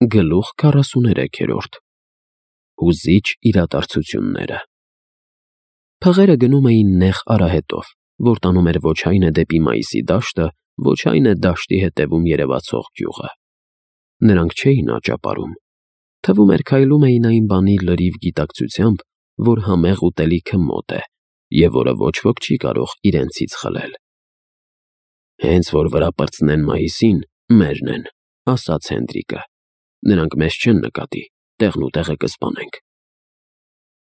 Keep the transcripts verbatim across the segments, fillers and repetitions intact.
Գլուխ քառասուներեքերորդ Հուզիչ իրադարձությունները Փղերը գնում էին նեղ արահետով, որ տանում էր ոչ այն է դեպի մայիսի դաշտը, ոչ այն է դաշտի հետևում երևացող գյուղը։ Նրանք չէին աճապարում։ Թվում էր քայլում էին այն բանի լրիվ գիտակցությամբ, որ համեղ ուտելիքը մոտ է, և որը ոչ ոք չի կարող իրենցից խլել։ Հենց որ վրա պրծնեն մայիսին, մերն են, ասաց Հենդրիկը։ Նրանք մեզ չեն նկատի, տեղն ու տեղը կսպանենք։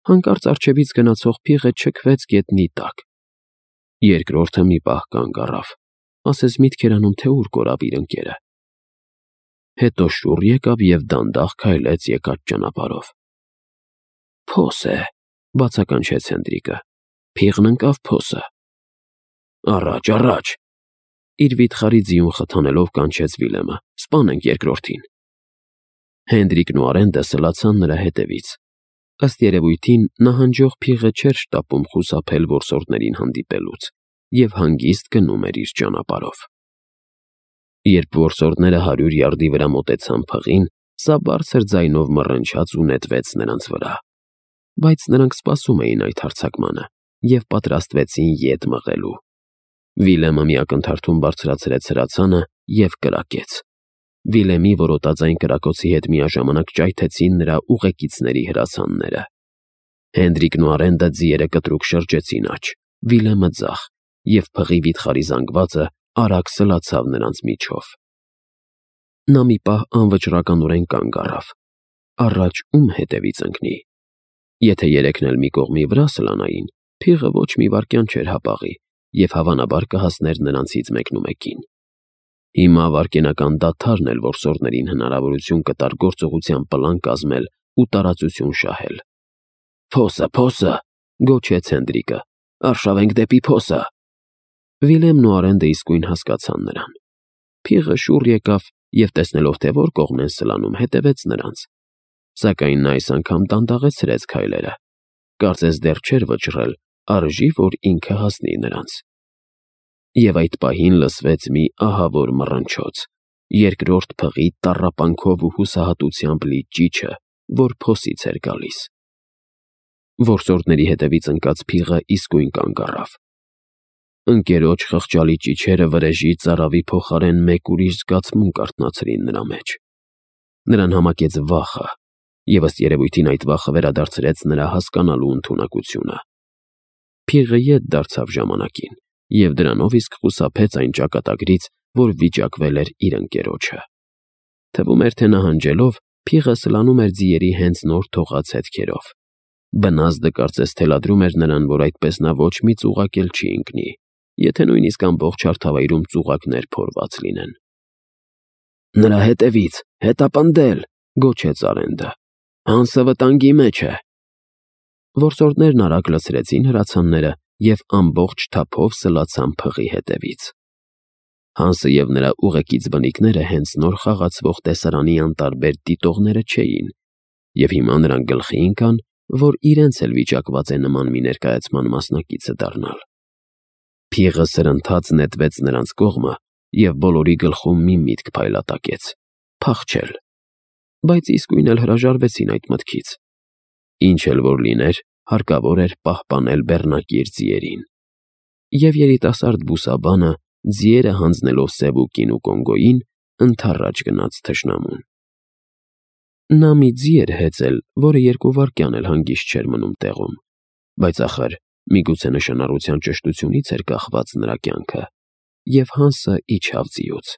Հանկարծ առջևից գնացող փիղը չքվեց գետնի տակ։ Երկրորդը մի պահ կանգ առավ, ասես միտք էր անում, թե ուր կորավ իր ընկերը։ Հետո շուռ եկավ և դանդաղ քայլեց եկած ճանապարհով։ Փոս է, բացականչեց Հենդրիկը։ Փիղն ընկավ փոսը։ Առաջ, առաջ, իր վիթխարի ձիուն խթանելով կանչեց Վիլյամը, սպանենք երկրորդին։ Հենդրիկն ու Արենդը սլացան նրա հետևից։ Ըստ երևույթին, նահանջող փիղը չէր շտապում խուսափել որսորդներին հանդիպելուց և հանգիստ գնում էր իր ճանապարհով։ Երբ որսորդները հարյուր յարդի վրա մոտեցան փղին, սա բարձր ձայնով մռնչաց ու նետվեց նրանց վրա։ Բայց նրանք սպասում էին այդ հարձակմանը և պատրաստվեցին ետ մղելու։ Վիլյամը մի ակնթարթում բարձրացրեց հրացանը և կրակեց։ Վիլյամի որոտաձայն կրակոցի հետ միաժամանակ ճայթեցին նրա ուղեկիցների հրացանները։ Հենդրիկն ու Արենդը ձիերը կտրուկ շրջեցին աջ, Վիլյամը ձախ, և փղի վիթխարի զանգվածը արագ սլացավ նրանց միջով։ Նա մի պահ անվճռականորեն կանգ առավ։ Առաջ ում հետևից ընկնի։ Եթե երեքն էլ մի կողմի վրա սլանային, փիղը ոչ մի վայրկյան չէր հապաղի և հավանաբար կհասներ նրանցից մեկնումեկին։ Հիմա վայրկենական դադարն էլ որսորդներին հնարավորություն կտար գործողության պլան կազմել ու տարածություն շահել։ Փոսը, փոսը, գոչեց Հենդրիկը, արշավենք դեպի փոսը։ Վիլյամն ու Արենդը իսկույն հասկացան նրան։ Փիղը շուռ եկավ և, տեսնելով, թե որ կողմն են սլանում, հետևեց նրանց։ Սակայն նա այս անգամ դանդաղեցրեց քայլերը։ Կարծես դեռ չէր վճռել, արժի որ ինքը հասնի նրանց։ Եվ այդ պահին լսվեց մի ահավոր մռնչոց, երկրորդ փղի տառապանքով ու հուսահատությամբ լի ճիչը, որ փոսից էր գալիս։ Որսորդների հետևից ընկած փիղը իսկույն կանգ առավ։ Ընկերոջ խղճալի ճիչերը վրեժի ծարավի փոխարեն մեկ ուրիշ զգացմունք արթնացրին նրա մեջ։ Նրան համակեց վախը, և ըստ երևույթին այդ վախը վերադարձրեց նրա հասկանալու ընդունակությունը։ Փիղը ետ դարձավ ժամանակին, և դրանով իսկ խուսափեց այն ճակատագրից, որ վիճակվել էր իր ընկերոջը։ Թվում էր, թե նահանջելով, փիղը սլանում էր ձիերի հենց նոր թողած հետքերով։ Բնազդը կարծես թելադրում էր նրան, որ այդպես նա ոչ մի ծուղակ էլ չի ընկնի, եթե նույնիսկ ամբողջ հարթավայրում ծուղակներ փորված լինեն։ Նրա հետևից, հետապնդել, գոչեց Արենդը։ Հանսը վտանգի մեջ է։ Որսորդներն արագ լցրեցին հրացանները և ամբողջ թափով սլացան փղի հետևից։ Հանսը և նրա ուղեկից բնիկները հենց նոր խաղացվող տեսարանի անտարբեր դիտողները չէին, և հիմա նրանք գլխի ընկան, որ իրենց էլ վիճակված է նման մի ներկայացման մասնակիցը դառնալ։ Փիղը սրընթաց նետվեց նրանց կողմը, և բոլորի գլխում մի միտք փայլատակեց՝ փախչել։ Բայց իսկույն էլ հրաժարվեցին այդ մտքից։ Ինչ էլ որ լիներ, հարկավոր էր պահպանել բեռնակիր ձիերին։ Եվ երիտասարդ բուսաբանը, ձիերը հանձնելով Սևուկին ու Կոնգոյին, ընդառաջ գնաց թշնամուն։ Նա մի ձի էր հեծել, որը երկու վայրկյան էլ հանգիստ չէր մնում տեղում, բայց ախր միգուցե նշանառության ճշտությունից էր կախված նրա կյանքը, և Հանսը իջավ ձիուց։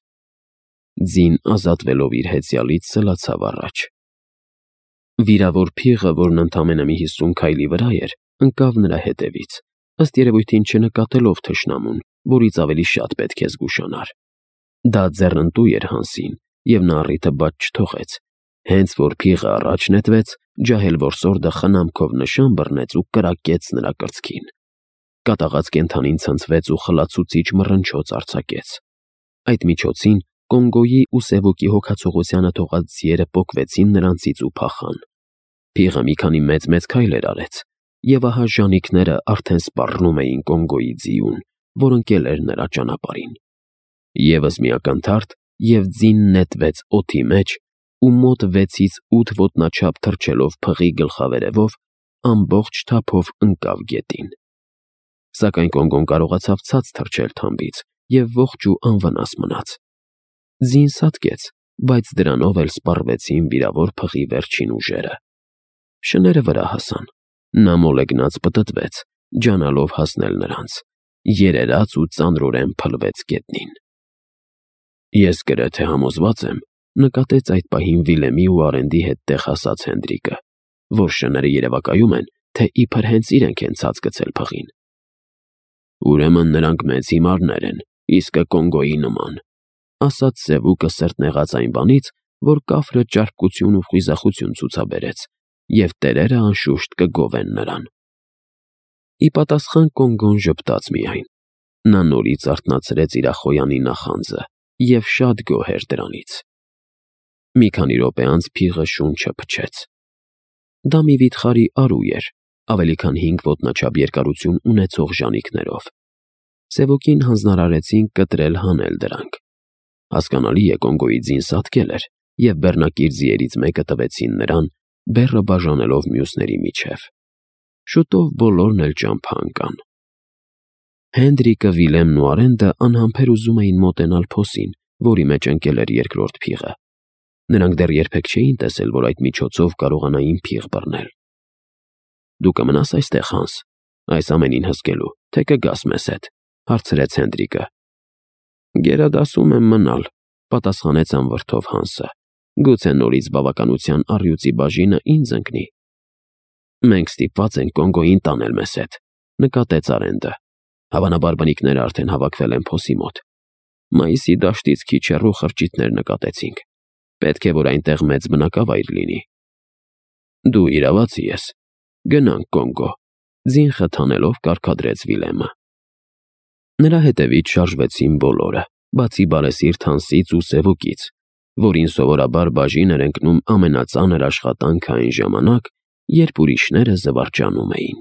Ձին ազատվելով իր հեծյալից սլացավ առաջ։ Վիրավոր փիղը, որն ընդամենը մի հիսուն քայլի վրա էր, ընկավ նրա հետևից, ըստ երևույթին չնկատելով թշնամուն, որից ավելի շատ պետք է զգուշանար։ Դա ձեռնտու էր Հանսին, և նա առիթը բաց չթողեց։ Հենց որ փիղը առաջ նետվեց, ջահել որսորդը խնամքով նշան բռնեց ու կրակեց նրա կրծքին։ Կատաղած կենդանին ցնցվեց ու խլացուցիչ մռնչոց արձակեց։ Այդ միջոցին Կոնգոյի ու Սևուկի հոգացողությանը թողած ձիերը պոկվեցին նրանցից ու փախան։ Փիղը մի քանի մեծ-մեծ քայլեր արեց, և ահա ժանիքները արդեն սպառնում էին Կոնգոյի ձիուն, որ ընկել էր նրա ճանապարհին։ Եվս մի ակնթարթ, և ձին նետվեց օդի մեջ ու մոտ վեցից ութ ոտնաչափ թռչելով փղի գլխավերևով ամբողջ թափով ընկավ գետին։ Սակայն Կոնգոն կարողացավ ցած թռչել թամբից և ողջ ու անվնաս մնաց։ Ձին սատկեց, բայց դրանով էլ սպառվեցին վիրավոր փղի վերջին ուժերը։ Շները վրա հասան։ Նա մոլեգնած պտտվեց, ջանալով հասնել նրանց, երերաց ու ծանրորեն փլվեց գետնին։ «Ես գրեթե համոզված եմ», նկատեց այդ պահին Վիլեմի ու Արենդի հետ տեղ հասած Հենդրիկը, «որ շները երևակայում են, թե իբր հենց իրենք են ցած գցել փղին»։ «Ուրեմն նրանք մեծ հիմարներ են, իսկը Կոնգոյի նման», ասաց Սևուկը սրտնեղած այն բանից, որ կաֆրը ճարպկություն ու խույզախություն ցուցաբերեց, և տերերը անշուշտ կգովեն նրան։ Ի պատասխան Կոնգոն ժպտաց միայն։ Նա նորից արթնացրեց իր ախոյանի նախանձը և շատ գոհ էր դրանից։ Մի քանի րոպե անց փիղը շունչը փչեց։ Դա մի վիթխարի արու էր, ավելի քան հինգ ոտնաչափ երկարություն ունեցող ժանիքներով։ Սևուկին հանձնարարեցին կտրել հանել դրանք։ Հասկանալի է, Կոնգոյի ձին սատկել էր, և բեռնակիր ձիերից մեկը տվեցին նրան, բեռը բաժանելով մյուսների միջև։ Շուտով բոլորն էլ ճամփա ընկան։ Հենդրիկը, Վիլեմն ու Արենդը անհամբեր ուզում էին մոտենալ փոսին, որի մեջ ընկել էր երկրորդ փիղը։ Նրանք դեռ երբեք չէին տեսել, որ այդ միջոցով կարողանային փիղ բռնել։ «Դու կմնաս այստեղ, Հանս, այս ամենին հսկելու, թե կգաս մեզ հետ», հարցրեց Հենդրիկը։ «Գերադասում եմ մնալ», պատասխանեց անվրդով Հանսը։ «Գուցե նորից բավականության առյուծի բաժինը ինձ ընկնի»։ «Մենք ստիպված ենք Կոնգոյին տանել մեզ հետ», նկատեց Արենդը։ «Հավանաբար բնիկները արդեն հավաքվել են փոսի մոտ։ Մայիսի դաշտից քիչ հեռու խրճիթներ նկատեցինք։ Պետք է, որ այնտեղ մեծ բնակավայր լինի»։ «Դու իրավացի ես։ Գնանք Կոնգո», ձին խթանելով կարգադրեց Վիլեմը։ Նրա հետևից շարժվեցին բոլորը, բացի բարեսիրտ Հանսից ու Սևուկից, որին սովորաբար բաժին էր ընկնում ամենածանր աշխատանքը այն ժամանակ, երբ ուրիշները զվարճանում էին։